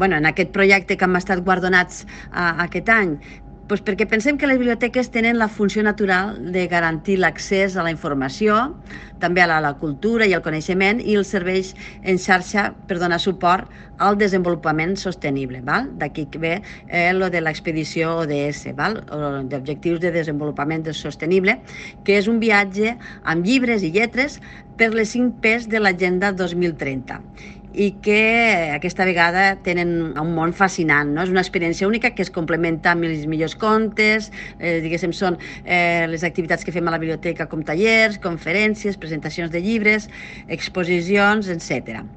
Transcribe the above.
en aquest projecte que hem estat guardonats aquest any? Doncs perquè pensem que les biblioteques tenen la funció natural de garantir l'accés a la informació, també a la cultura i al coneixement, i els serveis en xarxa per donar suport al desenvolupament sostenible. D'aquí que ve lo de l'expedició ODS, d'Objectius de Desenvolupament Sostenible, que és un viatge amb llibres i lletres per les 5 P's de l'Agenda 2030 i que aquesta vegada tenen un món fascinant, no? És una experiència única que es complementa amb els millors contes, diguéssim, són les activitats que fem a la biblioteca com tallers, conferències, presentacions de llibres, exposicions, etc.